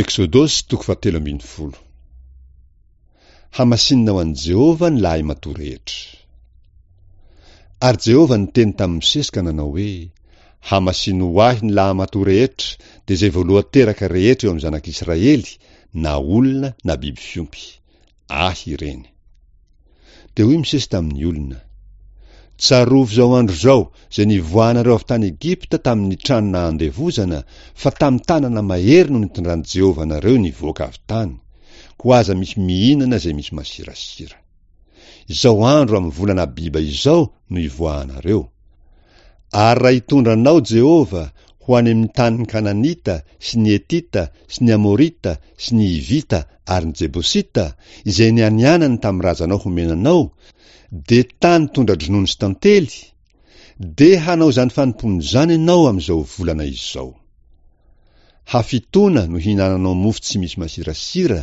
Eksodosy toko fahatelo ambin'ny folo. Hamasinina ho an'i Jehovah ny lahimatoa rehetra. Ary Jehovah niteny tamin'i Mosesy ka nanao hoe, Hamasino ho ahy ny lahamatoa rehetra, dia izay voalohan-teraka rehetra eo amin'ny zanak'Israely, na olona na biby fiompy. Ahy ireny. Dia hoy Mosesy tamin'ny olona, Tsarovy izao andro izao, izay nivoahanareo avy tany Egypta tamin'ny trano nahandevozana, fa tamin'ny tanana mahery no nitondran'i Jehovah anareo nivoaka avy tany. Koa aza misy mihinana izay misy masirasira. Izao andro amin'ny volana Abiba izao no ivoahanareo. Ary raha hitondra anao Jehovah ho any amin'ny tanin'ny Kananita sy ny Hetita sy ny Amorita sy ny Hivita ary ny Jebosita, izay nianianany tamin'ny razanao homena anao, dia tany tondra-dronono sy tantely, dia hanao izany fanompoana izany ianao amin'izao volana izao. Hafitoana no hihinananao mofo tsy misy masirasira,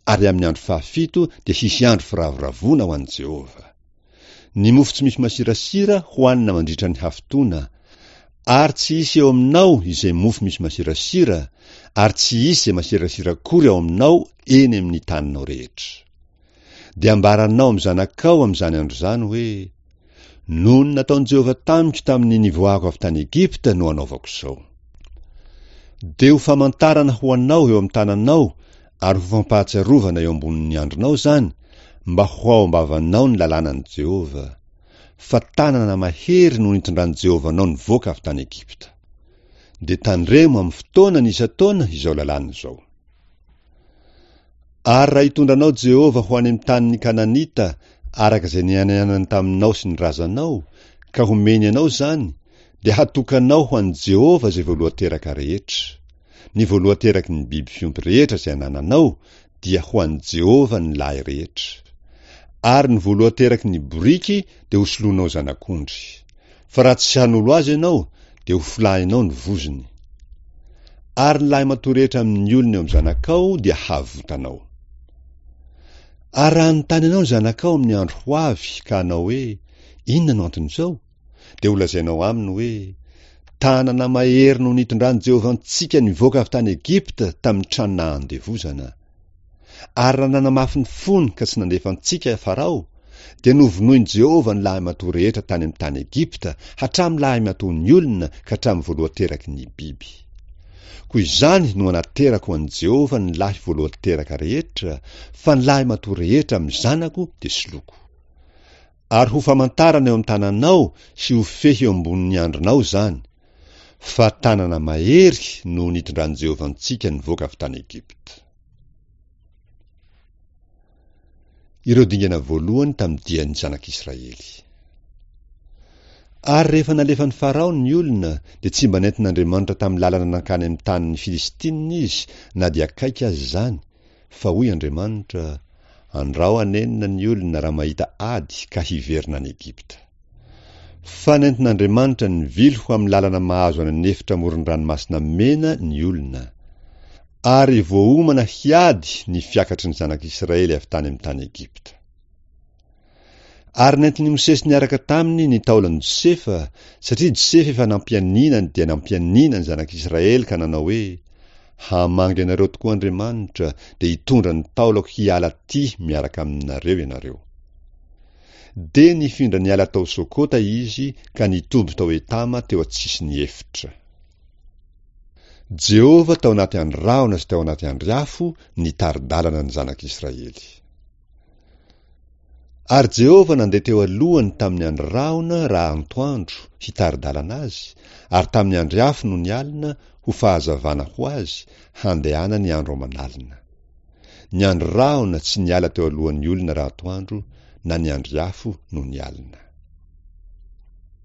ary amin'ny andro fahafito dia hisy andro firavoravoana ho an'i Jehovah. Ny mofo tsy misy masirasira hohanina mandritra ny hafitoana, ary tsy hisy eo aminao izay mofo misy masirasira, ary tsy hisy izay masirasira akory ao aminao eny amin'ny taninao rehetra. Dia ambaranao amin'ny zanakao amin'izany andro izany hoe, Noho ny nataon'i Jehovah tamiko tamin'ny nivoahako avy tany Egypta no anaovako izao. Dia ho famantarana ho anao eo amin'ny tananao ary ho fampahatsiarovana eo ambonin'ny andronao izany, mba ho ao am-bavanao ny lalànan'i Jehovah. Fa tanana mahery no nitondran'i Jehovah anao nivoaka avy tany Egypta. Dia tandremo amin'ny fotoanany isan-taona izao lalàna izao. Ary raha hitondra anao Jehovah ho any amin'ny tanin'ny Kananita, araka izay nianianany taminao sy ny razanao, ka homeny anao izany, dia hatokanao ho an'i Jehovah izay voalohan-teraka rehetra. Ny voalohan-teraky ny biby fiompy rehetra izay anananao dia ho an'i Jehovah ny lahy rehetra. Ary ny voalohan-teraky ny boriky dia hosoloinao zanak'ondry. Fa raha tsy hanolo azy ianao, dia hofolahinao ny vozony. Ary ny lahimatoa rehetra amin'ny olona eo amin'ny zanakao dia havotanao. Ary raha hanontany anao ny zanakao amin'ny andro ho avy ka hanao hoe, Inona no anton'izao? Dia holazainao aminy hoe, Tanana mahery no nitondran'i Jehovah antsika nivoaka avy tany Egypta tamin'ny trano nahandevozana. Ary raha nanamafy ny fony ka tsy nandefa antsika Farao, dia novonoin'i Jehovah ny lahimatoa rehetra tany amin'ny tany Egypta, hatramin'ny lahimatoan'ny olona ka hatramin'ny voalohan-teraky ny biby. Koa izany no anaterako ho an'i Jehovah ny lahy voalohan-teraka rehetra, fa ny lahimatoa rehetra amin'ny zanako dia soloko. Ary ho famantarana eo amin'ny tananao sy ho fehy eo ambonin'ny andronao izany, fa tanana mahery no nitondran'i Jehovah antsika nivoaka avy tany Egypta. Ireo dingana voalohany tamin'ny dian'ny zanak'Israely. Ary rehefa nalefan'i Farao ny olona, dia tsy mba nentin'Andriamanitra tamin'ny lalana nankany amin'ny tanin'ny Filistinina izy, na dia akaiky aza izany, Fa hoy Andriamanitra, Andrao hanenina ny olona raha mahita ady ka hiverina any Egypta. Fa nentin'Andriamanitra nivily ho amin'ny lalana mahazo any an'efitra amoron-dranomasina Mena ny olona. Ary voaomana hiady ny fiakatry ny zanak'Israely avy tany amin'ny tany Egypta. Ary nentin'i Mosesy niaraka taminy ny taolan'i Josefa, satria Josefa efa nampianiana dia nampianiana ny zanak'Israely ka nanao hoe, Hamangy anareo tokoa Andriamanitra, dia hitondra ny taolako hiala aty miaraka aminareo ianareo. Dia nifindra niala tao Sokota izy ka nitoby tao Etama teo an-tsisin'ny efitra. Jehovah tao anaty andry rahona sy tao anaty andry afo nitari-dalana ny zanak'Israely. Ary Jehovah nandeha teo alohany tamin'ny andry rahona raha antoandro, hitari-dalana azy, ary tamin'ny andry afo nony alina, ho fahazavana ho azy, handehanany andro aman'alina. Ny andry rahona tsy niala teo alohan'ny olona raha atoandro, na ny andry afo nony alina.